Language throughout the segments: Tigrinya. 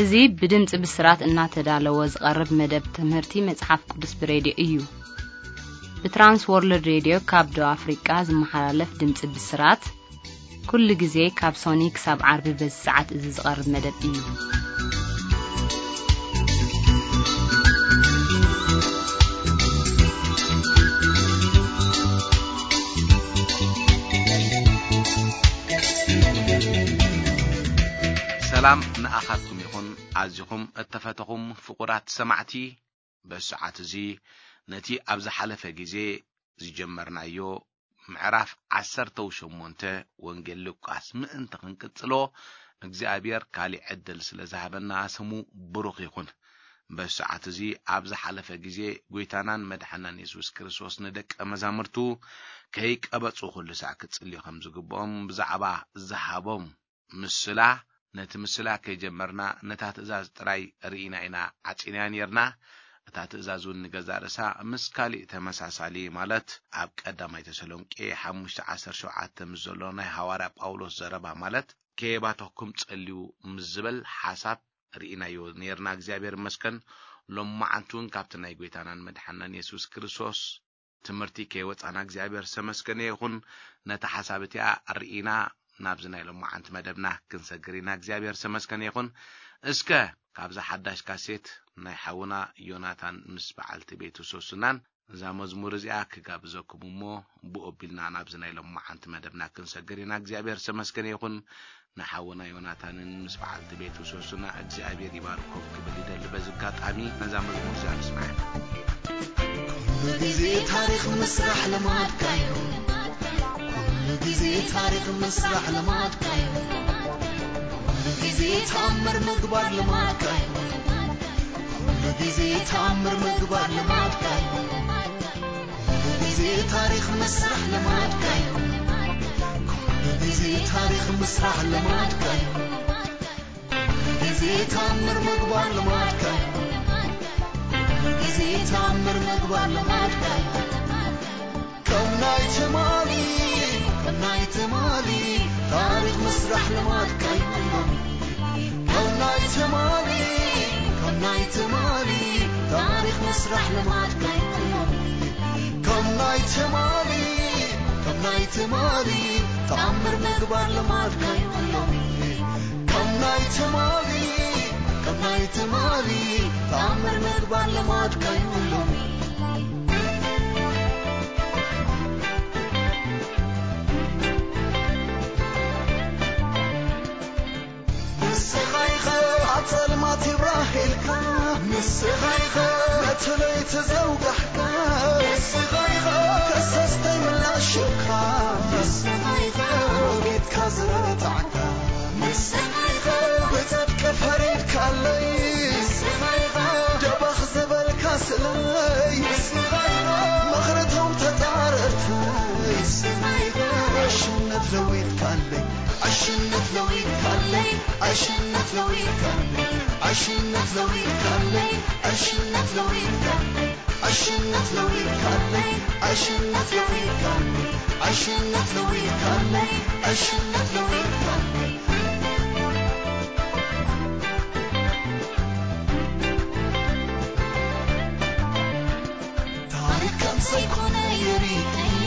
እዚ ብድምጺ ብስራት እናተዳለወ ዝቐርብ መደብ ትምህርቲ መጽሓፍ ቅዱስ ብሬድዮ እዩ። ብትራንስ ወርልድ ሬድዮ ካብ ደቡብ ኣፍሪቃ ዝመሓላለፍ ድምጺ ብስራት፣ ኩሉ ግዜ ካብ ሶኒ ክሳብ ዓርቢ በዚ ሰዓት እዚ ዝቐርብ መደብ እዩ። ሰላም ንኣኻትኩም ይኹን። ኣዚኹም እተፈተኹም ፍቑራት ሰማዕቲ፣ በዚ ሰዓት እዚ ነቲ ኣብ ዝሓለፈ ግዜ ዝጀመርናዮ ምዕራፍ ዓሰርተው ሸሞንተ ወንጌል ሉቃስ ምእንቲ ክንቅጽሎ እግዚኣብሔር ካሊእ ዕድል ስለ ዝሃበና ስሙ ብሩኽ ይኹን። በዚ ሰዓት እዚ ኣብ ዝሓለፈ ግዜ ጐይታናን መድሓናን የሱስ ክርስቶስ ንደቀ መዛሙርቱ ከይቀበጹ ኩሉ ሳዕ ክጽልዩ ከም ዝግብኦም ብዛዕባ ዝሃቦም ምስላ፣ ነቲ ምስላ ከይጀመርና ነታ ትእዛዝ ጥራይ ርኢና ኢና ዓጺናያ ኔርና። እታ ትእዛዝ እውን ንገዛእ ርእሳ ምስ ካሊእ ተመሳሳሊ፣ ማለት ኣብ ቀዳማይ ተሰሎንቄ ሓሙሽተ ዓሰርተ ሸውዓተ ምስ ዘሎ ናይ ሃዋርያ ጳውሎስ ዘረባ፣ ማለት ከየባተኹም ጸልዩ ምስ ዝበል ሓሳብ ርኢናዮ ኔርና። እግዚኣብሔር ይመስገን። ሎማዓንቲ እውን ካብቲ ናይ ጐይታናን መድሓናን የሱስ ክርስቶስ ትምህርቲ ከይወጻና እግዚኣብሔር ዝተመስገነ ይኹን። ነታ ሓሳብ እቲኣ ርኢና ናብዚ ናይ ሎማዓንቲ መደብና ክንሰግር ኢና። እግዚኣብሔር ዝተመስገነ ይኹን። እስከ ካብዛ ሓዳሽ ካሴት ናይ ሓውና ዮናታን ምስ በዓልቲ ቤቱ ሶስናን እዛ መዝሙር እዚኣ ክጋብዘኩም እሞ ብኡ ኣቢልና ናብዚ ናይ ሎማዓንቲ መደብና ክንሰግር ኢና። እግዚኣብሔር ዝተመስገነ ይኹን። ንሓውና ዮናታንን ምስ በዓልቲ ቤቱ ሶስና እግዚኣብሔር ይባርኮም ክብል ይደሊ። በዚ ኣጋጣሚ ነዛ መዝሙር እዚኣ ንስማዕ። ኩሉ ግዜ ታሪኽ ምስራሕ ልማድካ እዩ። ኩሉ ግዜ ታሪኽ ምስራሕ ልማድካ እዩ። ኩሉ ግዜ ተኣምር ምግባር ልማድካ እዩ። ኩሉ ግዜ ተኣምር ምግባር ልማድካ እዩ። ኩሉ ግዜ ታሪኽ ምስራሕ ልማድካ እዩ። ኩሉ ግዜ ታሪኽ ምስራሕ ልማድካ እዩ። ኩሉ ግዜ ተኣምር ምግባር ልማድካ እዩ። ኩሉ ግዜ ተኣምር ምግባር ልማድካ እዩ። ከም ናይ ትማሊ፣ ከም ናይ ትማሊ ታሪኽ ምስራሕ ልማድካ እዩ። ከም ናይ ትማሊ፣ ከም ናይ ትማሊ ታሪኽ ምስራሕ ልማድካ እዩ። ከም ናይ ትማሊ፣ ከም ናይ ትማሊ ተኣምር ምግባር ልማድካ እዩ። ከም ናይ ትማሊ፣ ከም ናይ ትማሊ ተኣምር ምግባር ልማድካ እዩ። ንስኻ ኢኻ ኣብ ጸልማት ይብራህ ኢልካ፣ ንስኻ ኢኻ ነቲ ለይቲ ዘውጋሕካ፣ ንስኻ ኢኻ ከሰስተይ ምላሽ ሽብካ፣ ንስኻ ኢኻ ወጊድካ ዝረታዕካ፣ ንስኻ ኢኻ ብጽድቂ ፈሪድካለይ፣ ንስኻ ኢኻ ደባኽ ዝበልካ ስለይ፣ ንስኻ ኢኻ ምኽርቶም ተጻረርተይ፣ ንስኻ ኢኻ ዕሽነት ለዊጥካለይ። ዕሽነት ለዊጥካለይ፣ ዕሽነት ለዊጥካለይ፣ ዕሽነት ለዊጥካለይ፣ ዕሽነት ለዊጥካለይ፣ ዕሽነት ለዊጥካለይ፣ ዕሽነት ለዊጥካለይ፣ ዕሽነት ለዊጥካለይ፣ ዕሽነት ለዊጥካለይ። ታሪኽ ከም ዘይኮነ ይርእዮ፣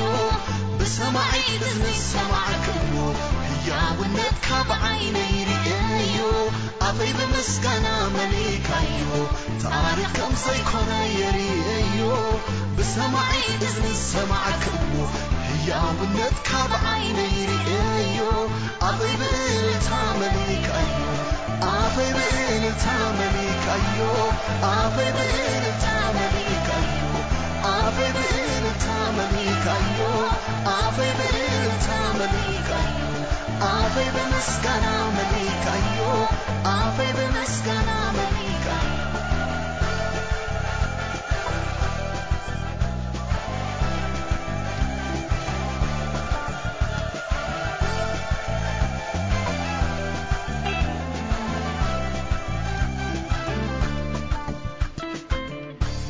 ብሰማዒት እዝኒ ዝሰማዕክዎ፣ ህያውነትካ ብዓይነይ ይርእዮ፣ ኣፈይ ብምስጋና መሊእካዮ። ታሪኽ ከም ዘይኮነ ይርእዮ፣ ብሰማዒት እዝኒ ዝሰማዕክዎ፣ ህያውነትካ ብዓይነይ ይርእዮ፣ ኣፈይ ብእልልታ መሊእካዮ፣ ኣፈይ ብእልልታ መሊእካዮ፣ ኣፈይ ብእልልታ መሊእካዮ፣ ኣፈይ ብእልልታ መሊእካዮ፣ ኣፈይ ብእልልታ መሊእካዮ፣ ኣፈይ ብምስጋና መሊእካዮ፣ ኣፈይ ብምስጋና መሊእካዮ።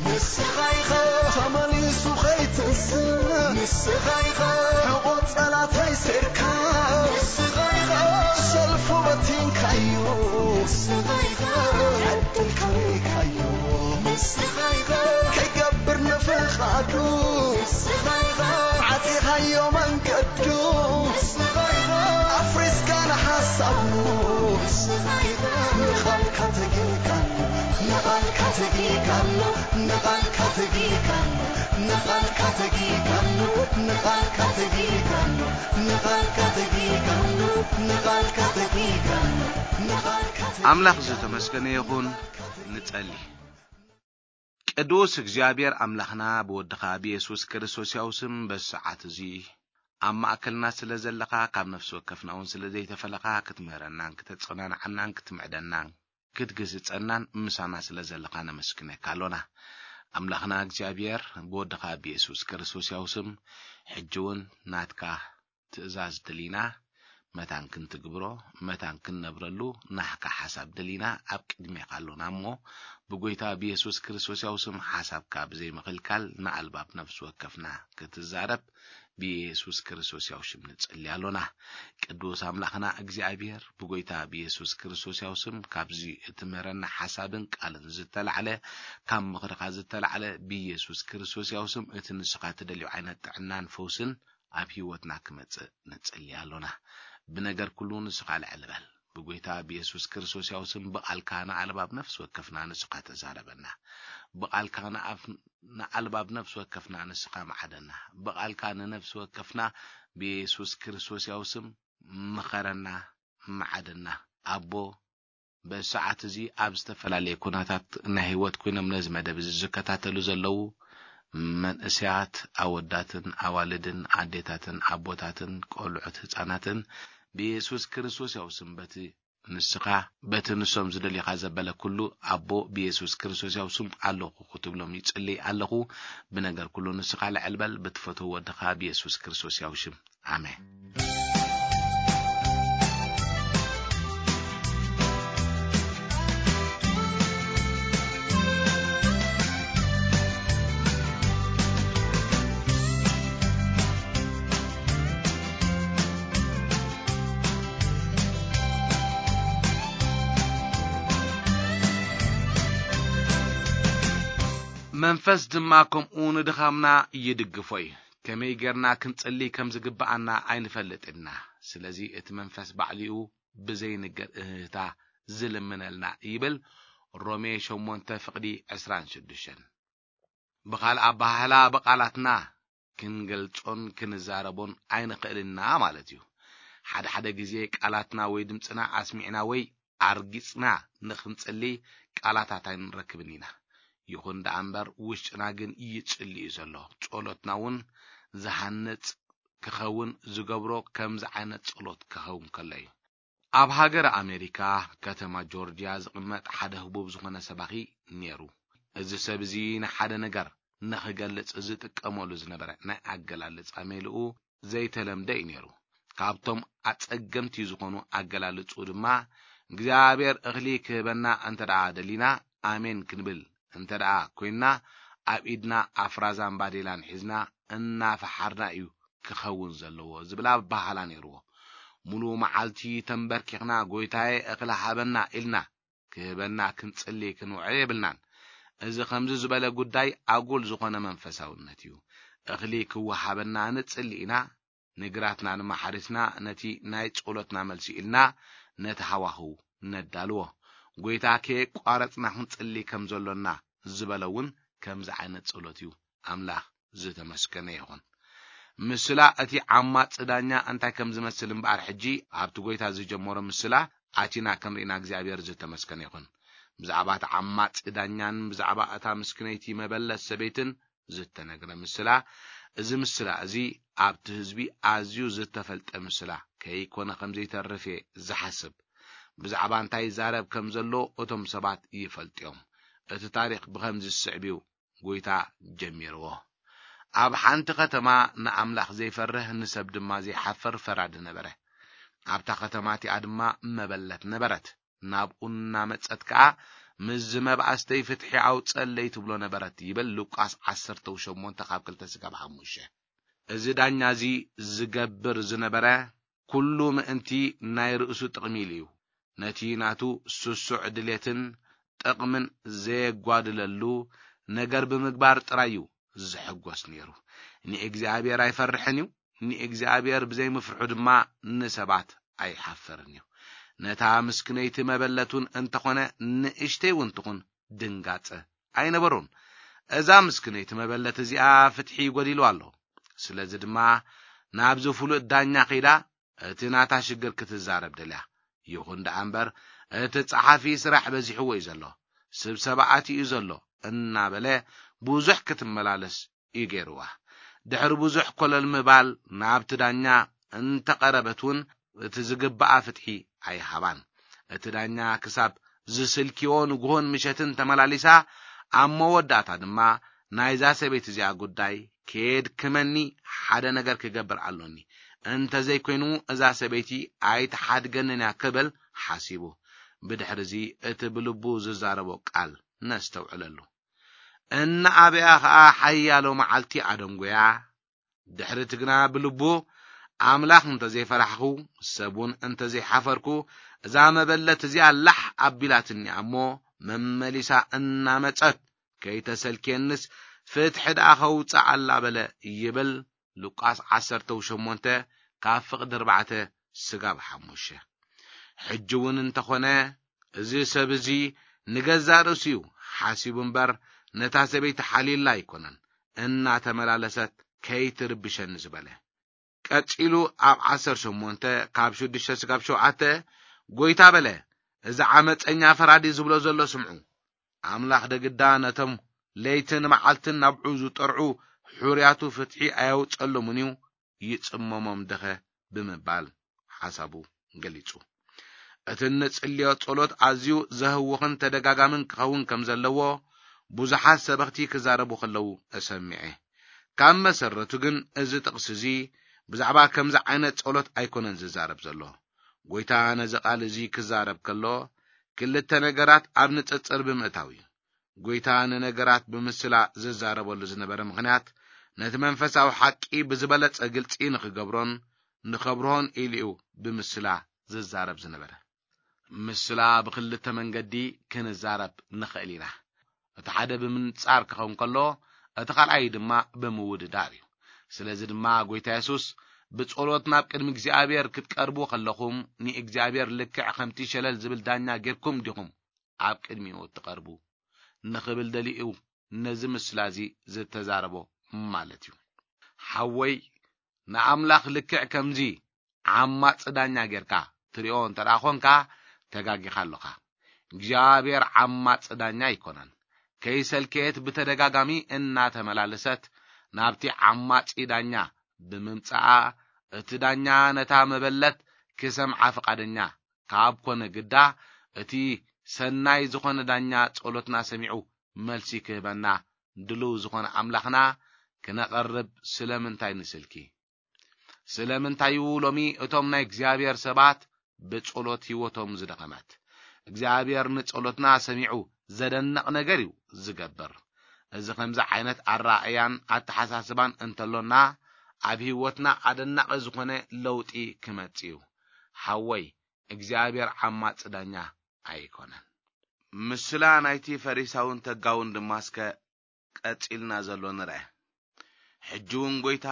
ንስኻ ኢኻ ተመሊሱ ኸይትንስእ፣ ንስኻ ኢኻ ሕቖ ጸላታይ ሴርካ፣ ንስኻ ኢኻ ሰልፉ በቲንካዮ፣ ንስኻ ኢኻ ኻዱስ ዓፂኻዮ መንገዱስ ኣፍሪስካ ንሓሳቡስ ንቓልካ ተጊጋሉ ንቓልካ ተጊጋሉ ንቓልካ ተጊጋሉ ንቓልካ ተጊጋሉ ንቓልካ ተጊጋሉ ንቓልካ ተጊጋሉ ንቓልካ ተጊጋሉ ንቓልካ ኣምላኽ ዝተመስገነ ይኹን። ንጸሊ። ቅዱስ እግዚኣብሔር ኣምላኽና ብወድኻ ብየሱስ ክርስቶስ ያው ስም በዚ ሰዓት እዚ ኣብ ማእከልና ስለ ዘለኻ ካብ ነፍሲ ወከፍና እውን ስለ ዘይተፈለኻ ክትምህረናን ክተጸናንዓናን ክትምዕደናን ክትግስጸናን ምሳና ስለ ዘለኻ ነመስግነካ ኣሎና። ኣምላኽና እግዚኣብሔር ብወድኻ ብየሱስ ክርስቶስ ያው ስም ሕጂ እውን ናትካ ትእዛዝ ደሊና መታን ክንትግብሮ መታን ክንነብረሉ ናህካ ሓሳብ ደሊና ኣብ ቅድሜኻ ኣሎና እሞ ብጎይታ ብየሱስ ክርስቶስ ያው ስም ሓሳብካ ብዘይምኽልካል ንኣልባብ ነፍሲ ወከፍና ክትዛረብ ብየሱስ ክርስቶስ ያው ሽም ንጽሊ ኣሎና። ቅዱስ ኣምላኽና እግዚኣብሔር ብጎይታ ብየሱስ ክርስቶስ ያው ስም ካብዚ እትምህረና ሓሳብን ቃልን ዝተላዕለ ካብ ምኽርኻ ዝተላዕለ ብየሱስ ክርስቶስ ያው ስም እቲ ንስኻ ትደልዮ ዓይነት ጥዕናን ፈውስን ኣብ ህይወትና ክመጽእ ንጽሊ ኣሎና። ብነገር ኩሉ ንስኻ ልዕል በል። ብጎይታ ብየሱስ ክርስቶስ ያው ስም ብቓልካ ንኣልባብ ነፍሲ ወከፍና ንስኻ ተዛረበና። ብቓልካ ንኣፍ- ንኣልባብ ነፍሲ ወከፍና ንስኻ መዓደና። ብቓልካ ንነፍሲ ወከፍና ብየሱስ ክርስቶስ ያው ስም ምኸረና፣ መዓደና። ኣቦ በዚ ሰዓት እዚ ኣብ ዝተፈላለየ ኩነታት ናይ ህይወት ኮይኖም ነዚ መደብ እዚ ዝከታተሉ ዘለዉ መንእሰያት ኣወዳትን ኣዋልድን ኣዴታትን ኣቦታትን ቆልዑት ህፃናትን ብየሱስ ክርስቶስ ያው ስም በቲ ንስኻ በቲ ንሶም ዝደልዩኻ ዘበለ ኩሉ ኣቦ ብየሱስ ክርስቶስ ያው ስም ኣለኹ ክትብሎም ይጽልይ ኣለኹ። ብነገር ኩሉ ንስኻ ልዕል በል ብትፈትዎ ወድኻ ብየሱስ ክርስቶስ ያው ሽም ኣሜን። መንፈስ ድማ ከምኡ ንድኻምና ይድግፎ እዩ። ከመይ ጌርና ክንጽሊ ከም ዝግብኣና ኣይንፈልጥን ኢና። ስለዚ እቲ መንፈስ ባዕሊኡ ብዘይንገር እህህታ ዝልምነልና ይብል ሮሜ ሸሞንተ ፍቕዲ ዕስራን ሽዱሽተን። ብኻልእ ኣበሃህላ ብቓላትና ክንገልጾን ክንዛረቦን ኣይንኽእልና ማለት እዩ። ሓደ ሓደ ግዜ ቃላትና ወይ ድምፅና ኣስሚዕና ወይ ኣርጊፅና ንኽንጽሊ ቃላታት ኣይንረክብን ኢና። ይኹን ደኣ እምበር ውሽጥና ግን ይጽሊ እዩ ዘሎ። ጸሎትና እውን ዝሃንጽ ክኸውን ዝገብሮ ከምዚ ዓይነት ጸሎት ክኸውን ከሎ እዩ። ኣብ ሃገረ ኣሜሪካ ከተማ ጆርጅያ ዝቕመጥ ሓደ ህቡብ ዝኾነ ሰባኺ ነይሩ። እዚ ሰብ እዚ ንሓደ ነገር ንኽገልጽ ዝጥቀመሉ ዝነበረ ናይ ኣገላልጻ ሜልኡ ዘይተለምደ እዩ ነይሩ። ካብቶም ኣጸገምቲ ዝኾኑ ኣገላልጹ ድማ እግዚኣብሔር እኽሊ ክህበና እንተ ደኣ ደሊና ኣሜን ክንብል እንተ ደኣ ኮይንና ኣብ ኢድና ኣፍራዛን ባዴላን ሒዝና እናፈሓርና እዩ ክኸውን ዘለዎ ዝብል ኣበሃህላ ነይርዎ። ሙሉእ መዓልቲ ተንበርኪኽና ጎይታዬ እኽሊ ሃበና ኢልና ክህበና ክንጽሊ ክንውዕል የብልናን። እዚ ከምዚ ዝበለ ጉዳይ ኣጉል ዝኾነ መንፈሳውነት እዩ። እኽሊ ክወሃበና ንጽሊ ኢና፣ ንግራትና ድማ ሓሪስና ነቲ ናይ ጸሎትና መልሲ ኢልና ነቲ ሃዋህው ነዳልዎ። ጎይታ ከየቋረጽና ክንጽሊ ከም ዘሎና ዝበለ እውን ከምዚ ዓይነት ጸሎት እዩ። ኣምላኽ ዝተመስገነ ይኹን። ምስላ እቲ ዓማጺ ዳኛ እንታይ ከም ዝመስል እምበኣር ሕጂ ኣብቲ ጎይታ ዝጀመሮ ምስላ ኣቲና ከም ርኢና እግዚኣብሔር ዝተመስገነ ይኹን። ብዛዕባ እቲ ዓማጺ ዳኛን ብዛዕባ እታ ምስክነይቲ መበለት ሰበይትን ዝተነግረ ምስላ፣ እዚ ምስላ እዚ ኣብቲ ህዝቢ ኣዝዩ ዝተፈልጠ ምስላ ከይኮነ ከም ዘይተርፍ እየ ዝሓስብ። ብዛዕባ እንታይ ይዛረብ ከም ዘሎ እቶም ሰባት ይፈልጡ እዮም። እቲ ታሪኽ ብኸምዚ ዝስዕብ እዩ ጎይታ ጀሚርዎ። ኣብ ሓንቲ ከተማ ንኣምላኽ ዘይፈርህ ንሰብ ድማ ዘይሓፍር ፈራዲ ነበረ። ኣብታ ከተማ እቲኣ ድማ መበለት ነበረት። ናብኡ እናመጸት ከኣ ምስዚ መብኣስተይ ፍትሒ ኣውጸለይ ትብሎ ነበረት ይብል ሉቃስ ዓሰርተ ሸሞንተ ካብ ክልተ ስጋብ ሓሙሽተ። እዚ ዳኛ እዚ ዝገብር ዝነበረ ኩሉ ምእንቲ ናይ ርእሱ ጥቕሚ ኢሉ እዩ። ነቲ ናቱ ስሱዕ ድሌትን ጥቕምን ዘየጓድለሉ ነገር ብምግባር ጥራይ እዩ ዝሕጎስ ነይሩ። ንእግዚኣብሔር ኣይፈርሕን እዩ፣ ንእግዚኣብሔር ብዘይምፍርሑ ድማ ንሰባት ኣይሓፍርን እዩ። ነታ ምስክነይቲ መበለት እውን እንተኾነ ንእሽተይ እውን ትኹን ድንጋጸ ኣይነበሮን። እዛ ምስክነይቲ መበለት እዚኣ ፍትሒ ይጎዲሉ ኣሎ። ስለዚ ድማ ናብዚ ፍሉጥ ዳኛ ከይዳ እቲ ናታ ሽግር ክትዛረብ ደልያ። ይኹን ደኣ እምበር እቲ ጸሓፊ ስራሕ በዚሕዎ እዩ ዘሎ፣ ስብሰባ ኣትዩ እዩ ዘሎ እናበለ ብዙሕ ክትመላለስ እዩ ገይርዋ። ድሕሪ ብዙሕ ኮለል ምባል ናብቲ ዳኛ እንተቐረበት እውን እቲ ዝግባኣ ፍትሒ ኣይሃባን። እቲ ዳኛ ክሳብ ዝስልክዮ ንግሆን ምሸትን ተመላሊሳ፣ ኣብ መወዳእታ ድማ ናይዛ ሰበይቲ እዚኣ ጉዳይ ከየድክመኒ ሓደ ነገር ክገብር ኣሎኒ፣ እንተዘይኮይኑ እዛ ሰበይቲ ኣይትሓድገንን እያ ክብል ሓሲቡ። ብድሕሪ እዚ እቲ ብልቡ ዝዛረቦ ቃል ነስተውዕለሉ። እናኣበያ ኸኣ ሓያሎ መዓልቲ ኣደንጎያ። ድሕሪ እቲ ግና ብልቡ ኣምላኽ እንተዘይፈራሕኹ፣ ሰብ እውን እንተዘይሓፈርኩ፣ እዛ መበለት እዚኣ ላሕ ኣቢላትኒ እያ እሞ፣ መመሊሳ እናመጸት ከይተሰልክየንስ ፍትሒ ደኣ ከውጽእ ኣላ በለ ይብል ሉቃስ ዓሰርተ ሸሞንተ ካብ ፍቕዲ ኣርባዕተ ስጋብ ሓሙሽተ። ሕጂ እውን እንተኾነ እዚ ሰብ እዚ ንገዛእ ርእሱ እዩ ሓሲቡ እምበር ነታ ሰበይቲ ሓልዩላ ኣይኮነን፣ እናተመላለሰት ከይትርብሸኒ ዝበለ። ቀጺሉ ኣብ ዓሰርተ ሸሞንተ ካብ ሽዱሽተ ስጋብ ሸውዓተ ጎይታ በለ፣ እዚ ዓመፀኛ ፈራዲ ዝብሎ ዘሎ ስምዑ። ኣምላኽ ደግዳ ነቶም ለይትን መዓልትን ናብዑ ዝጠርዑ ሕሩያቱ ፍትሒ ኣየውጸሎምን እዩ፣ ይጽመሞም ደኸ ብምባል ሓሳቡ ገሊጹ። እቲ እንጽልዮ ጸሎት ኣዝዩ ዘህውኽን ተደጋጋምን ክኸውን ከም ዘለዎ ብዙሓት ሰበኽቲ ክዛረቡ ከለዉ እሰሚዐ። ካብ መሰረቱ ግን እዚ ጥቕሲ እዚ ብዛዕባ ከምዚ ዓይነት ጸሎት ኣይኮነን ዝዛረብ ዘሎ። ጎይታ ነዚ ቃል እዚ ክዛረብ ከሎ ክልተ ነገራት ኣብ ንጽጽር ብምእታው እዩ። ጎይታ ንነገራት ብምስላ ዝዛረበሉ ዝነበረ ምኽንያት ነቲ መንፈሳዊ ሓቂ ብዝበለጸ ግልጺ ንኽገብሮን ንኸብርሆን ኢሉ እዩ ብምስላ ዝዛረብ ዝነበረ። ምስላ ብኽልተ መንገዲ ክንዛረብ ንኽእል ኢና። እቲ ሓደ ብምንጻር ክኸውን ከሎ፣ እቲ ካልኣይ ድማ ብምውድዳር እዩ። ስለዚ ድማ ጎይታ የሱስ ብጸሎት ናብ ቅድሚ እግዚኣብሔር ክትቀርቡ ከለኹም ንእግዚኣብሔር ልክዕ ከምቲ ሸለል ዝብል ዳኛ ጌርኩም ዲኹም ኣብ ቅድሚኡ እትቐርቡ ንኽብል ደሊኡ ነዚ ምስላ እዚ ዝተዛረቦ ማለት እዩ። ሓወይ ንኣምላኽ ልክዕ ከምዚ ዓማጺ ዳኛ ጌርካ ትሪኦ እንተ ደኣ ኾንካ ተጋጊኻ ኣለኻ። እግዚኣብሔር ዓማጺ ዳኛ ኣይኮነን። ከይሰልከየት ብተደጋጋሚ እናተመላለሰት ናብቲ ዓማጺ ዳኛ ብምምጻኣ እቲ ዳኛ ነታ መበለት ክሰምዓ ፍቓደኛ ካብ ኮነ ግዳ እቲ ሰናይ ዝኾነ ዳኛ ጸሎትና ሰሚዑ መልሲ ክህበና ድሉው ዝኾነ ኣምላኽና ክነቐርብ ስለምንታይ ንስልኪ? ስለምንታይ እዩ ሎሚ እቶም ናይ እግዚኣብሔር ሰባት ብጸሎት ህይወቶም ዝደኸመት? እግዚኣብሔር ንጸሎትና ሰሚዑ ዘደንቕ ነገር እዩ ዝገብር። እዚ ከምዚ ዓይነት ኣረኣእያን ኣተሓሳስባን እንተሎና ኣብ ህይወትና ኣደናቒ ዝኾነ ለውጢ ክመጽእ እዩ። ሓወይ እግዚኣብሔር ዓማጺ ዳኛ ኣይኮነን። ምስላ ናይቲ ፈሪሳውን ተጋውን ድማ እስከ ቀጺልና ዘሎ ንርአ። ሕጂ እውን ጎይታ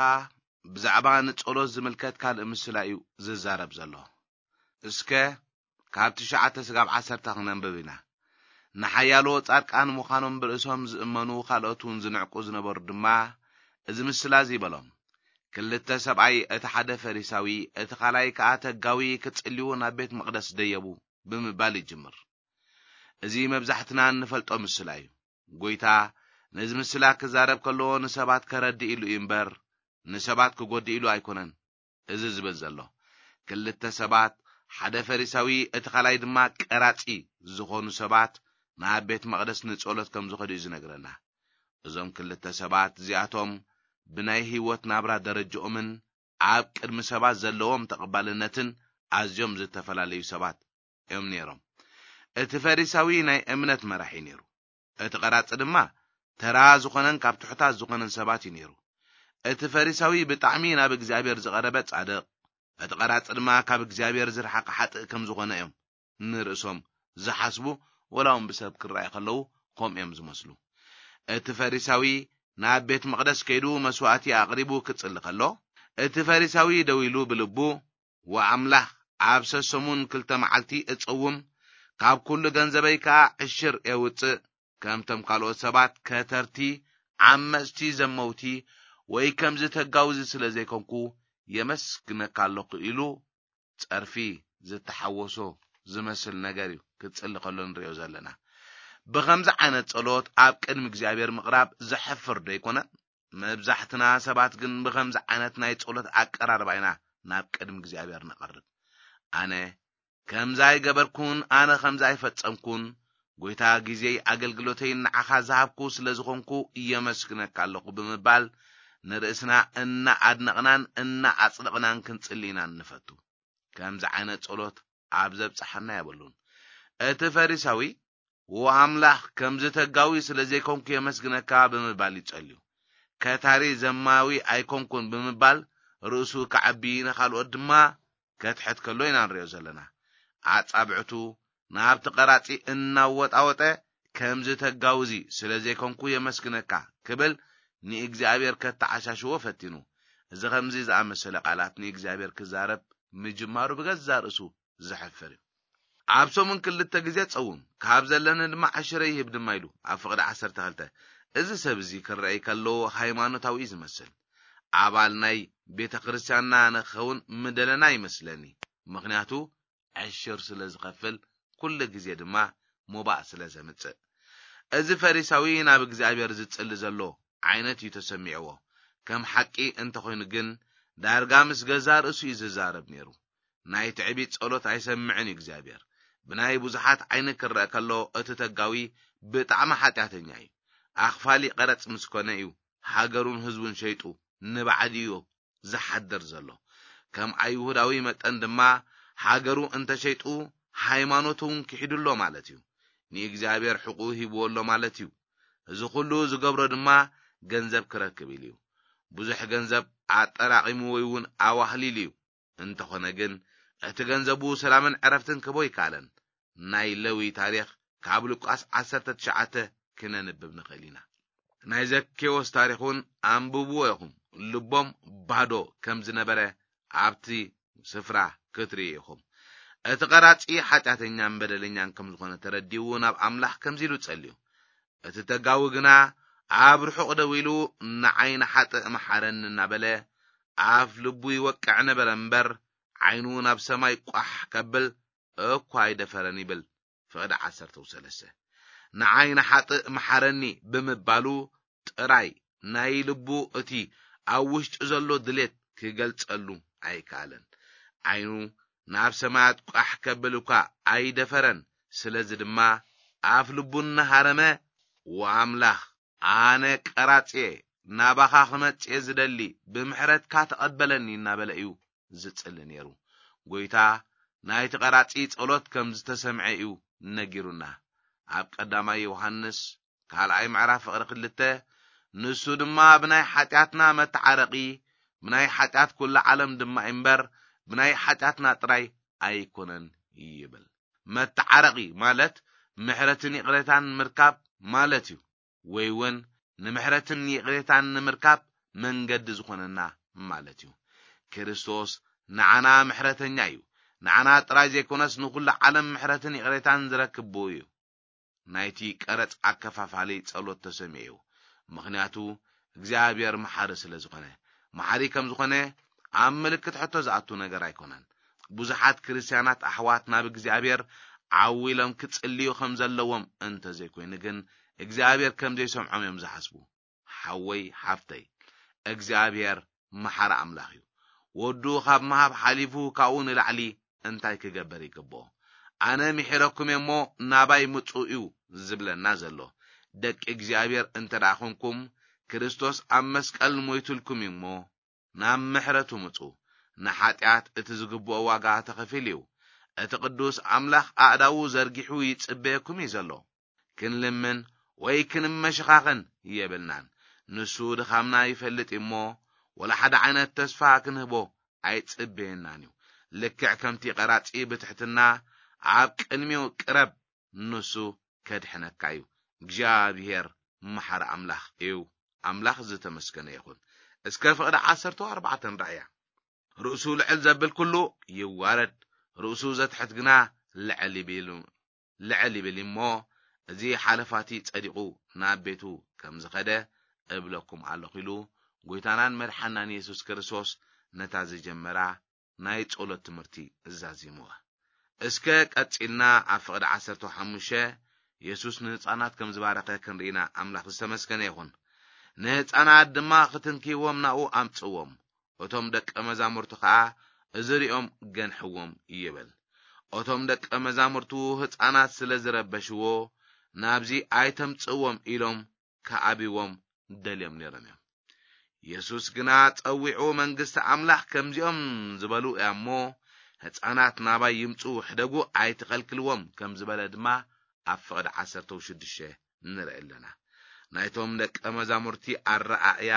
ብዛዕባ ንጸሎት ዝምልከት ካልእ ምስላ እዩ ዝዛረብ ዘሎ። እስከ ካብ ትሽዓተ ስጋብ ዓሰርተ ክነንብብ ኢና። ንሓያሎ ጻድቃን ምዃኖም ብርእሶም ዝእመኑ ካልኦት እውን ዝንዕቁ ዝነበሩ ድማ እዚ ምስላ እዚ በሎም። ክልተ ሰብኣይ፣ እቲ ሓደ ፈሪሳዊ፣ እቲ ካልኣይ ከኣ ተጋዊ ክጽልዩ ናብ ቤት መቕደስ ደየቡ ብምባል ይጅምር። እዚ መብዛሕትና እንፈልጦ ምስላ እዩ። ጎይታ ነዚ ምስላ ክዛረብ ከሎ ንሰባት ከረድእ ኢሉ እዩ እምበር ንሰባት ክጎድእ ኢሉ ኣይኮነን እዚ ዝብል ዘሎ። ክልተ ሰባት፣ ሓደ ፈሪሳዊ እቲ ካልኣይ ድማ ቀራጺ ዝኾኑ ሰባት ናብ ቤት መቕደስ ንጸሎት ከም ዝኸዱ እዩ ዝነግረና። እዞም ክልተ ሰባት እዚኣቶም ብናይ ህይወት ናብራ ደረጃኦምን ኣብ ቅድሚ ሰባት ዘለዎም ተቐባልነትን ኣዝዮም ዝተፈላለዩ ሰባት እዮም ነይሮም። እቲ ፈሪሳዊ ናይ እምነት መራሒ ነይሩ። እቲ ቀራጺ ድማ ተራ ዝኾነን ካብ ትሑታት ዝኾነን ሰባት እዩ ነይሩ። እቲ ፈሪሳዊ ብጣዕሚ ናብ እግዚኣብሔር ዝቐረበ ጻድቕ፣ እቲ ቀራጺ ድማ ካብ እግዚኣብሔር ዝረሓቐ ሓጥእ ከም ዝኾነ እዮም ንርእሶም ዝሓስቡ፣ ወላ እውን ብሰብ ክረኣዩ ከለዉ ከምኡ እዮም ዝመስሉ። እቲ ፈሪሳዊ ናብ ቤት መቕደስ ከይዱ መስዋእቲ ኣቕሪቡ ክጽሊ ከሎ፣ እቲ ፈሪሳዊ ደው ኢሉ ብልቡ፣ "ወኣምላኽ፣ ኣብ ሰሰሙን ክልተ መዓልቲ እጸውም፣ ካብ ኩሉ ገንዘበይ ከኣ ዕሽር የውጽእ፣ ከምቶም ካልኦት ሰባት ከተርቲ፣ ዓመጽቲ፣ ዘመውቲ፣ ወይ ከምዚ ተጋውዚ ስለ ዘይኮንኩ የመስግነካ ኣለኹ" ኢሉ ጸርፊ ዝተሓወሶ ዝመስል ነገር እዩ ክጽሊ ከሎ ንሪኦ ዘለና። ብኸምዚ ዓይነት ጸሎት ኣብ ቅድሚ እግዚኣብሔር ምቕራብ ዘሕፍር ዶ ኣይኮነን? መብዛሕትና ሰባት ግን ብኸምዚ ዓይነት ናይ ጸሎት ኣቀራርባ ኢና ናብ ቅድሚ እግዚኣብሔር ንቐርብ። "ኣነ ከምዚ ኣይገበርኩን፣ ኣነ ከምዚ ኣይፈጸምኩን፣ ጎይታ፣ ግዜይ ኣገልግሎተይ ንዓኻ ዝሃብኩ ስለ ዝኾንኩ የመስግነካ ኣለኹ" ብምባል ንርእስና እናኣድነቕናን እናኣጽደቕናን ክንጽሊ ኢና ንፈቱ። ከምዚ ዓይነት ጸሎት ኣብ ዘብጽሓና የብሉን። እቲ ፈሪሳዊ፣ "ወኣምላኽ፣ ከምዚ ተጋዊ ስለ ዘይኮንኩ የመስግነካ" ብምባል ይጸልዩ። "ከታሪ ዘማዊ ኣይኮንኩን" ብምባል ርእሱ ከዓቢ፣ ንኻልኦት ድማ ከትሕት ከሎ ኢና ንሪኦ ዘለና። ኣጻብዕቱ ናብቲ ቀራጺ እናወጣወጠ፣ "ከምዚ ተጋውዚ ስለ ዘይኮንኩ የመስግነካ" ክብል ንእግዚኣብሔር ከተዓሻሽዎ ፈቲኑ። እዚ ከምዚ ዝኣመሰለ ቃላት ንእግዚኣብሔር ክዛረብ ምጅማሩ ብገዛ ርእሱ ዘሕፍር እዩ። "ኣብ ሰሙን ክልተ ግዜ ጸውም፣ ካብ ዘለኒ ድማ ዕሽረ ይህብ ድማ" ኢሉ ኣብ ፍቕዲ ዓሰርተ ክልተ። እዚ ሰብ እዚ ክረኣይ ከሎ ሃይማኖታዊ እዩ ዝመስል። ኣባል ናይ ቤተ ክርስቲያንና ንኸውን ምደለና ይመስለኒ። ምኽንያቱ ዕሽር ስለ ዝኸፍል፣ ኩሉ ግዜ ድማ ሞባእ ስለ ዘምጽእ። እዚ ፈሪሳዊ ናብ እግዚኣብሔር ዝጽሊ ዘሎ ዓይነት እዩ ተሰሚዕዎ። ከም ሓቂ እንተኾይኑ ግን፣ ዳርጋ ምስ ገዛ ርእሱ እዩ ዝዛረብ ነይሩ። ናይ ትዕቢት ጸሎት ኣይሰምዕን እዩ እግዚኣብሔር። ብናይ ብዙሓት ዓይኒ ክረአ ከሎ፣ እቲ ተጋዊ ብጣዕሚ ሓጢኣተኛ እዩ። ኣኽፋሊ ቀረጽ ምስ ኮነ እዩ ሃገሩን ህዝቡን ሸይጡ ንባዕዲ እዩ ዝሓድር ዘሎ። ከም ኣይሁዳዊ መጠን ድማ፣ ሃገሩ እንተሸይጡ፣ ሃይማኖቱ እውን ክሒዱ ኣሎ ማለት እዩ። ንእግዚኣብሔር ሕቁ ሂብዎ ኣሎ ማለት እዩ። እዚ ኩሉ ዝገብሮ ድማ ገንዘብ ክረክብ ኢሉ እዩ። ብዙሕ ገንዘብ ኣጠራቒሙ ወይ እውን ኣዋህሊሉ እዩ። እንተኾነ ግን፣ እቲ ገንዘቡ ሰላምን ዕረፍትን ክህቦ ኣይከኣለን። ናይ ለዊ ታሪኽ ካብ ሉቃስ ዓሰርተ ትሽዓተ ክነንብብ ንኽእል ኢና። ናይ ዘኬዎስ ታሪኽ እውን ኣንብብዎ ኢኹም። ልቦም ባዶ ከም ዝነበረ ኣብቲ ስፍራ ክትርእዩ ኢኹም። እቲ ቀራጺ ሓጢኣተኛን በደለኛን ከም ዝኾነ ተረዲኡ ናብ ኣምላኽ ከምዚ ኢሉ ጸልዩ። እቲ ተጋዊ ግና ኣብ ርሑቕ ደው ኢሉ፣ "ንዓይ ንሓጥእ መሓረኒ" እናበለ ኣፍ ልቡ ይወቅዕ ነበረ እምበር፣ ዓይኑ ናብ ሰማይ ቋሕ ከብል እኳ ኣይደፈረን ይብል ፍቕዲ ዓሰርተ ሰለስተ። "ንዓይ ንሓጥእ መሓረኒ" ብምባሉ ጥራይ ናይ ልቡ፣ እቲ ኣብ ውሽጡ ዘሎ ድሌት ክገልጸሉ ኣይከኣለን። ዓይኑ ናብ ሰማያት ቋሕ ከብል እኳ ኣይደፈረን። ስለዚ ድማ ኣፍ ልቡ እናሃረመ፣ "ወኣምላኽ፣ ኣነ ቀራጺየ፣ ናባኻ ክመጽእ ዝደሊ፣ ብምሕረትካ ተቐበለኒ" እናበለ እዩ ዝጽሊ ነይሩ። ጎይታ ናይቲ ቀራጺ ጸሎት ከም ዝተሰምዐ እዩ ነጊሩና። ኣብ ቀዳማይ ዮሃንስ ካልኣይ ምዕራፍ ፍቕሪ ክልተ፣ "ንሱ ድማ ብናይ ሓጢኣትና መተዓረቒ፣ ብናይ ሓጢኣት ኩሉ ዓለም ድማ እምበር፣ ብናይ ሓጢኣትና ጥራይ ኣይኮነን" ይብል። መተዓረቒ ማለት ምሕረትን ይቕሬታን ምርካብ ማለት እዩ። ወይ እውን ንምሕረትን ይቕሬታን ንምርካብ መንገዲ ዝኾነና ማለት እዩ። ክርስቶስ ንዓና ምሕረተኛ እዩ። ንዓና ጥራይ ዘይኮነስ ንኹሉ ዓለም ምሕረትን ይቕሬታን ዝረክብ ብኡ እዩ። ናይቲ ቀረጽ ኣከፋፋሊ ጸሎት ተሰሚዑ እዩ። ምኽንያቱ እግዚኣብሔር መሓሪ ስለ ዝኾነ። መሓሪ ከም ዝኾነ ኣብ ምልክት ሕቶ ዝኣቱ ነገር ኣይኮነን። ብዙሓት ክርስትያናት ኣሕዋት ናብ እግዚኣብሔር ዓው ኢሎም ክጽልዩ ከም ዘለዎም እንተዘይኮይኑ ግን፣ እግዚኣብሔር ከም ዘይሰምዖም እዮም ዝሓስቡ። ሓወይ፣ ሓፍተይ፣ እግዚኣብሔር መሓሪ ኣምላኽ እዩ። ወዱ ካብ ምሃብ ሓሊፉ ካብኡ ንላዕሊ እንታይ ክገብር ይግብኦ? "ኣነ ምሒረኩም እየ እሞ ናባይ ምጹ" እዩ ዝብለና ዘሎ። ደቂ እግዚኣብሔር እንተ ደኣ ኾንኩም፣ ክርስቶስ ኣብ መስቀል ሞይቱልኩም እዩ እሞ፣ ናብ ምሕረቱ ምጹ። ንሓጢኣት እቲ ዝግብኦ ዋጋ ተኸፊሉ እዩ። እቲ ቅዱስ ኣምላኽ ኣእዳዉ ዘርጊሑ ይጽበየኩም እዩ ዘሎ። ክንልምን ወይ ክንመሸኻኸን የብልናን። ንሱ ድኻምና ይፈልጥ እዩ እሞ፣ ወላ ሓደ ዓይነት ተስፋ ክንህቦ ኣይጽበየናን እዩ። ልክዕ ከምቲ ቀራጺ ብትሕትና ኣብ ቅድሚኡ ቅረብ፣ ንሱ ከድሕነካ እዩ። እግዚኣብሔር መሓሪ ኣምላኽ እዩ። ኣምላኽ ዝተመስገነ ይኹን። እስከ ፍቕዲ ዓሰርተ ኣርባዕተ ንርኣያ። ርእሱ ልዕል ዘብል ኩሉ ይዋረድ፣ ርእሱ ዘትሕት ግና ልዕል ይብል፣ ልዕል ይብል እሞ፣ እዚ ሓለፋቲ ጸዲቑ ናብ ቤቱ ከም ዝኸደ እብለኩም ኣለኹ ኢሉ፣ ጎይታናን መድሓናን የሱስ ክርስቶስ ነታ ዝጀመራ ናይ ጸሎት ትምህርቲ ዛዚምዋ። እስከ ቀጺልና ኣብ ፍቕዲ ዓሰርተ ሓሙሽተ የሱስ ንህጻናት ከም ዝባረኸ ክንርኢና ኣምላኽ ዝተመስገነ ይኹን። ንህጻናት ድማ ክትንክይዎም ናብኡ ኣምጽዎም። እቶም ደቀ መዛሙርቱ ኸኣ እዚ ሪኦም ገንሕዎም ይብል። እቶም ደቀ መዛሙርቱ ህጻናት ስለ ዝረበሽዎ ናብዚ ኣይተምጽዎም ኢሎም ክኣብይዎም ደልዮም ነይሮም እዮም። የሱስ ግና ጸዊዑ መንግስቲ ኣምላኽ ከምዚኦም ዝበሉ እያ እሞ ህጻናት ናባይ ይምጹ ሕደጉ ኣይትኸልክልዎም ከም ዝበለ ድማ ኣብ ፍቕዲ ዓሰርተ ሽዱሽተ ንርኢ ኣለና። ናይቶም ደቀ መዛሙርቲ ኣረኣእያ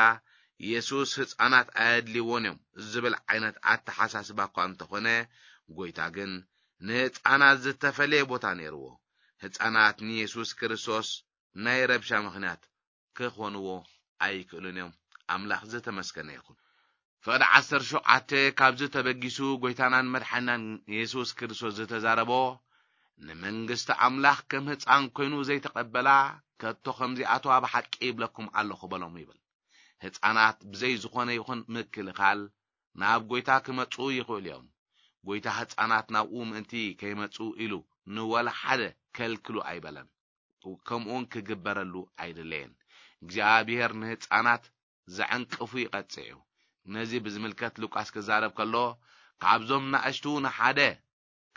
የሱስ ህጻናት ኣየድልይዎን እዮም ዝብል ዓይነት ኣተሓሳስባ እኳ እንተኾነ ጎይታ ግን ንህጻናት ዝተፈለየ ቦታ ነይርዎ። ህጻናት ንየሱስ ክርስቶስ ናይ ረብሻ ምኽንያት ክኾንዎ ኣይክእሉን እዮም። ኣምላኽ ዝተመስገነ ይኹን። ፍቕዲ ዓሰርተ ሸውዓተ ካብዚ ተበጊሱ ጎይታናን መድሓናን የሱስ ክርስቶስ ዝተዛረቦ ንመንግስቲ ኣምላኽ ከም ህፃን ኮይኑ ዘይተቐበላ ከቶ ከምዚኣተዋ ብሓቂ ይብለኩም ኣለኹ በሎም ይብል። ህፃናት ብዘይ ዝኾነ ይኹን ምክልኻል ናብ ጎይታ ክመፁ ይኽእሉ እዮም። ጎይታ ህፃናት ናብኡ ምእንቲ ከይመፁ ኢሉ ንወላ ሓደ ከልክሉ ኣይበለን። ከምኡውን ክግበረሉ ኣይደለየን። እግዚኣብሔር ንህፃናት ዘዕንቅፉ ይቐፅዕ እዩ። ነዚ ብዝምልከት ሉቃስ ክዛረብ ከሎ ካብዞም ናእሽቱ ንሓደ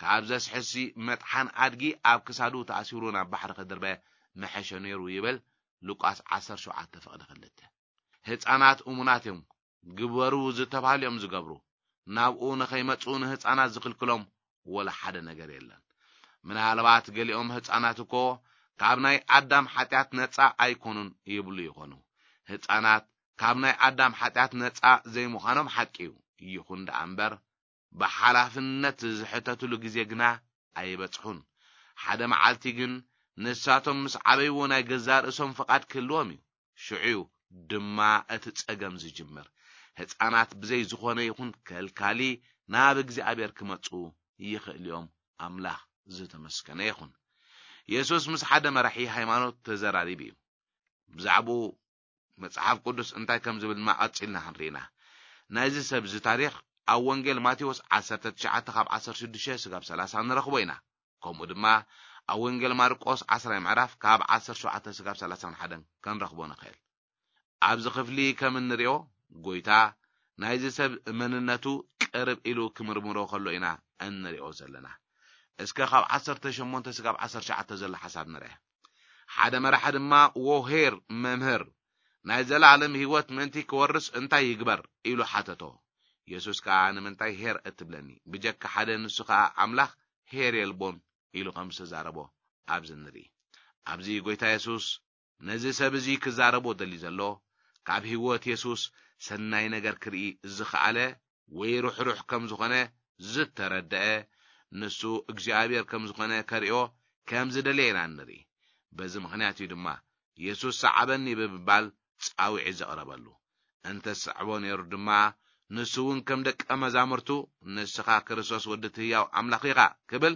ካብ ዘስሕሲ መጥሓን ኣድጊ ኣብ ክሳዱ ተኣሲሩ ናብ ባሕሪ ክድርበ ምሐሸ ነይሩ ይብል። ሉቃስ ዓሰርተ ሸውዓተ ፍቕዲ ክልተ። ህፃናት እሙናት እዮም፣ ግበሩ ዝተባህሉ እዮም ዝገብሩ። ናብኡ ንኸይመፁ ንህፃናት ዝኽልክሎም ወላ ሓደ ነገር የለን። ምናልባት ገሊኦም ህፃናት እኮ ካብ ናይ ኣዳም ሓጢኣት ነፃ ኣይኮኑን ይብሉ ይኾኑ። ህፃናት ካብ ናይ ኣዳም ሓጢኣት ነፃ ዘይምዃኖም ሓቂ እዩ። ይኹን ደኣ እምበር ብሓላፍነት ዝሕተትሉ ግዜ ግና ኣይበጽሑን። ሓደ መዓልቲ ግን ንሳቶም ምስ ዓበይዎ ናይ ገዛእ ርእሶም ፍቓድ ክህልዎም እዩ። ሽዑ ድማ እቲ ጸገም ዝጅምር። ህጻናት ብዘይ ዝኾነ ይኹን ከልካሊ ናብ እግዚኣብሔር ክመጹ ይኽእል እዮም። ኣምላኽ ዝተመስገነ ይኹን። የሱስ ምስ ሓደ መራሒ ሃይማኖት ተዘራሪቡ እዩ። ብዛዕባኡ መጽሓፍ ቅዱስ እንታይ ከም ዝብል ድማ ቀጺልና ክንርኢና። ናይዚ ሰብ እዚ ታሪኽ ኣብ ወንጌል ማቴዎስ ዓሰርተ ትሽዓተ ካብ ዓሰርተ ሽዱሽተ ስጋብ ሰላሳ ንረኽቦ ኢና። ከምኡ ድማ ኣብ ወንጌል ማርቆስ ዓስራይ ምዕራፍ ካብ ዓሰርተ ሸውዓተ ስጋብ ሰላሳን ሓደን ክንረኽቦ ንኽእል። ኣብዚ ክፍሊ ከም እንሪኦ፣ ጎይታ ናይዚ ሰብ መንነቱ ቅርብ ኢሉ ክምርምሮ ከሎ ኢና እንሪኦ ዘለና። እስከ ካብ ዓሰርተ ሸሞንተ ስጋብ ዓሰርተ ትሽዓተ ዘሎ ሓሳብ ንርአ። ሓደ መራሒ ድማ፣ "ዎ ኄር መምህር፣ ናይ ዘለኣለም ህይወት ምእንቲ ክወርስ እንታይ ይግበር?" ኢሉ ሓተቶ። የሱስ ከኣ፣ "ንምንታይ ኄር እትብለኒ? ብጀካ ሓደ፣ ንሱ ከኣ ኣምላኽ፣ ኄር የልቦን" ኢሉ ከም ዝተዛረቦ ኣብዚ ንርኢ። ኣብዚ ጎይታ የሱስ ነዚ ሰብ እዚ ክዛረቦ ደልዩ ዘሎ፣ ካብ ህይወት የሱስ ሰናይ ነገር ክርኢ ዝኸኣለ ወይ ርሕሩሕ ከም ዝኾነ ዝተረደአ፣ ንሱ እግዚኣብሔር ከም ዝኾነ ከርእዮ ከም ዝደለየ ኢና ንርኢ። በዚ ምኽንያት እዩ ድማ የሱስ ሰዓበኒ ብምባል ጻውዒት ዘቕረበሉ። እንተ ዝስዕቦ ነይሩ ድማ፣ ንሱ እውን ከም ደቀ መዛሙርቱ፣ "ንስኻ ክርስቶስ ወዲ እቲ ህያው ኣምላኽ ኢኻ" ክብል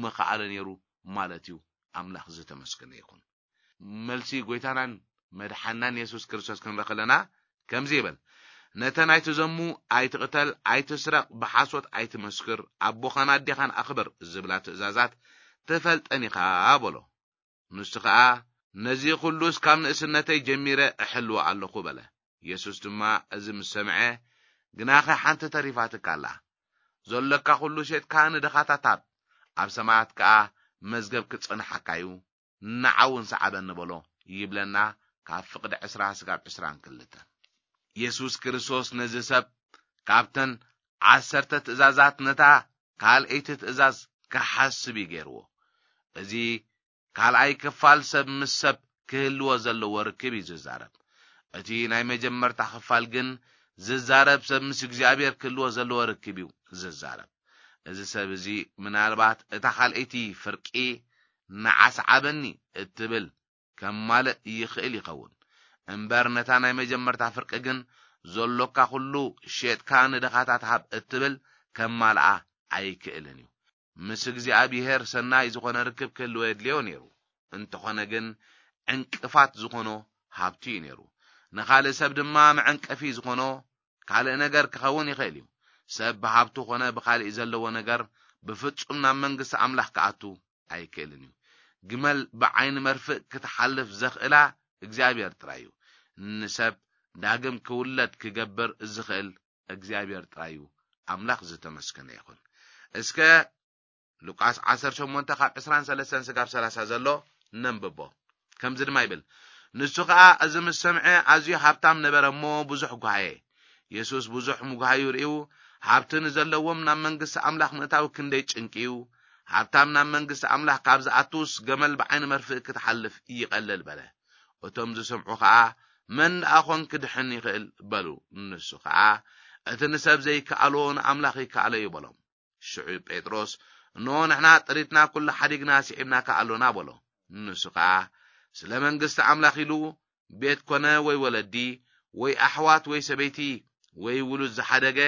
ምኸኣለ ነይሩ ማለት እዩ። ኣምላኽ ዝተመስገነ ይኹን። መልሲ ጎይታናን መድሓናን የሱስ ክርስቶስ ክንርኢ ከለና ከምዚ ይብል፣ "ነተን ኣይትዘሙ፣ ኣይትቕተል፣ ኣይትስረቕ፣ ብሓሶት ኣይትመስክር፣ ኣቦኻን ኣዴኻን ኣኽብር ዝብላ ትእዛዛት ትፈልጠን ኢኻ" በሎ። ንሱ ኸኣ፣ "ነዚ ኹሉስ ካብ ንእስነተይ ጀሚረ እሕልዎ ኣለኹ" በለ። የሱስ ድማ እዚ ምስ ሰምዐ፣ "ግናኸ ሓንቲ ተሪፋትካ ኣላ። ዘሎካ ኹሉ ሸጥካ ንድኻታት ሃብ፣ ኣብ ሰማያት ከኣ መዝገብ ክጸንሓካ እዩ፣ ንዓ እውን ሰዓበኒ" በሎ ይብለና ካብ ፍቕዲ ዕስራ ስጋብ ዕስራን ክልተን። የሱስ ክርስቶስ ነዚ ሰብ ካብተን ዓሰርተ ትእዛዛት ነታ ካልኣይቲ ትእዛዝ ክሓስብ እዩ ገይርዎ። እዚ ካልኣይ ክፋል ሰብ ምስ ሰብ ክህልዎ ዘለዎ ርክብ እዩ ዝዛረብ። እቲ ናይ መጀመርታ ክፋል ግን ዝዛረብ ሰብ ምስ እግዚኣብሔር ክህልዎ ዘለዎ ርክብ እዩ ዝዛረብ። እዚ ሰብ እዚ ምናልባት እታ ካልኣይቲ ፍርቂ ንዓ ሰዓበኒ እትብል ከማልእ ይኽእል ይኸውን። እምበር ነታ ናይ መጀመርታ ፍርቂ ግን ዘሎካ ኩሉ ሼጥካ ንድኻታት ሃብ እትብል ከማልኣ ኣይክእልን እዩ። ምስ እግዚኣብሔር ሰናይ ዝኾነ ርክብ ክህልዎ የድልዮ ነይሩ። እንተኾነ ግን ዕንቅፋት ዝኾኖ ሃብቲ እዩ ነይሩ። ንኻልእ ሰብ ድማ መዐንቀፊ ዝኾኖ ካልእ ነገር ክኸውን ይኽእል እዩ። ሰብ ብሃብቱ ኾነ ብኻልእ ዘለዎ ነገር ብፍጹም ናብ መንግስቲ ኣምላኽ ክኣቱ ኣይክእልን እዩ። ግመል ብዓይኒ መርፍእ ክትሓልፍ ዘኽእላ እግዚኣብሔር ጥራይ እዩ። ንሰብ ዳግም ክውለድ ክገብር ዝኽእል እግዚኣብሔር ጥራይ እዩ። ኣምላኽ ዝተመስገነ ይኹን። እስከ ሉቃስ ዓሰርተ ሸሞንተ ካብ ዕስራን ሰለስተን ስጋብ ሰላሳ ዘሎ ነንብቦ። ከምዚ ድማ ይብል፣ ንሱ ኸኣ እዚ ምስ ሰምዐ ኣዝዩ ሃብታም ነበረ እሞ ብዙሕ ጓሃየ። የሱስ ብዙሕ ምጉሃዩ ርእዩ፣ ሃብቲ ንዘለዎም ናብ መንግስቲ ኣምላኽ ምእታው ክንደይ ጭንቂ እዩ። ሃብታም ናብ መንግስቲ ኣምላኽ ካብ ዝኣቱስ ገመል ብዓይኒ መርፍእ ክትሓልፍ ይቐልል በለ። እቶም ዝሰምዑ ኸኣ መን ደኣ ኾን ክድሕን ይኽእል በሉ። ንሱ ኸኣ እቲ ንሰብ ዘይከኣሎ ንኣምላኽ ይከኣሎ እዩ በሎም። ሽዑ ጴጥሮስ፣ እንሆ ንሕና ጥሪትና ኩሉ ሓዲግና ስዒብናካ ኣሎና በሎ። ንሱ ኸኣ ስለ መንግስቲ ኣምላኽ ኢሉ ቤት ኮነ ወይ ወለዲ ወይ ኣሕዋት ወይ ሰበይቲ ወይ ውሉድ ዝሓደገ፣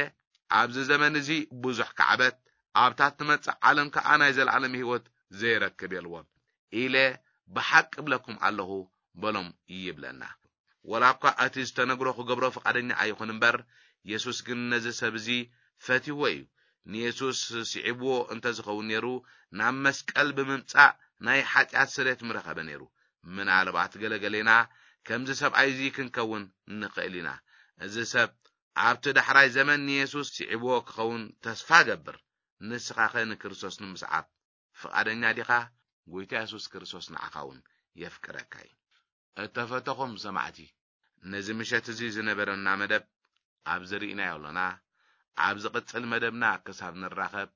ኣብዚ ዘመን እዚ ብዙሕ ካዕበት፣ ኣብታ ትመጽእ ዓለም ከኣ ናይ ዘለኣለም ህይወት ዘይረክብ የልቦን ኢለ ብሓቂ እብለኩም ኣለኹ በሎም ይብለና። ወላ እኳ እቲ ዝተነግሮ ክገብሮ ፍቓደኛ ኣይኹን እምበር፣ የሱስ ግን ነዚ ሰብ እዚ ፈትይዎ እዩ። ንየሱስ ስዒብዎ እንተ ዝኸውን ነይሩ፣ ናብ መስቀል ብምምጻእ ናይ ሓጢኣት ስርየት ምረኸበ ነይሩ። ምናልባት ገለገሌና ከምዚ ሰብኣይ እዚ ክንከውን ንኽእል ኢና። እዚ ሰብ ኣብቲ ዳሕራይ ዘመን ንየሱስ ስዒብዎ ክኸውን ተስፋ ገብር። ንስኻኸ ንክርስቶስ ንምስዓብ ፍቓደኛ ዲኻ? ጎይታ የሱስ ክርስቶስ ንዓኻ እውን የፍቅረካ እዩ። እተፈተኹም ሰማዕቲ፣ ነዚ ምሸት እዚ ዝነበረና መደብ ኣብዚ ርኢናዮ ኣሎና። ኣብ ዝቕጽል መደብና ክሳብ ንራኸብ፣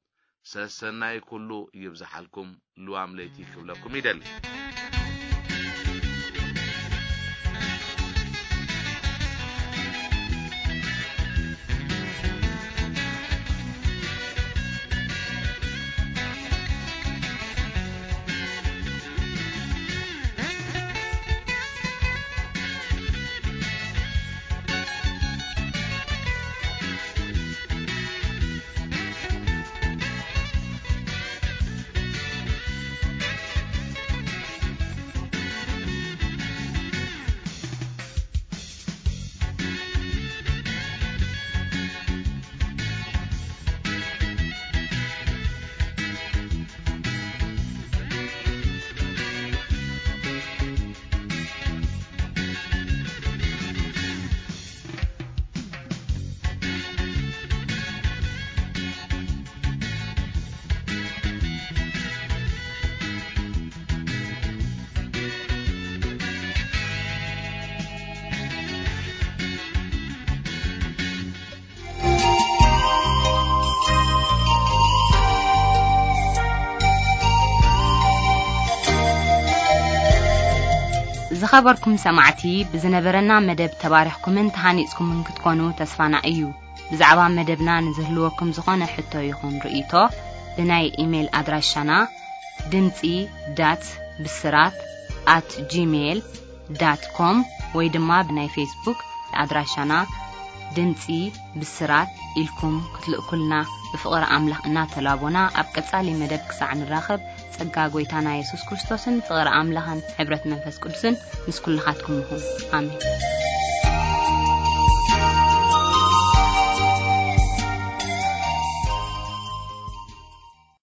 ሰሰናይ ኩሉ ይብዝሓልኩም። ልዋም ለይቲ ክብለኩም ይደሊ። ዝኸበርኩም ሰማዕቲ፣ ብዝነበረና መደብ ተባሪኽኩምን ተሃኒጽኩምን ክትኮኑ ተስፋና እዩ። ብዛዕባ መደብና ንዝህልወኩም ዝኾነ ሕቶ ይኹን ርእይቶ፣ ብናይ ኢሜይል ኣድራሻና ድምጺ ዳት ብስራት ኣት ጂሜይል ዳት ኮም ወይ ድማ ብናይ ፌስቡክ ኣድራሻና ድምጺ ብስራት ኢልኩም ክትልእኩልና ብፍቕሪ ኣምላኽ እናተላቦና፣ ኣብ ቀጻሊ መደብ ክሳዕ ንራኸብ፣ ጸጋ ጐይታና የሱስ ክርስቶስን ፍቕሪ ኣምላኽን ሕብረት መንፈስ ቅዱስን ምስ ኩልኻትኩም ይኹን። ኣሜን።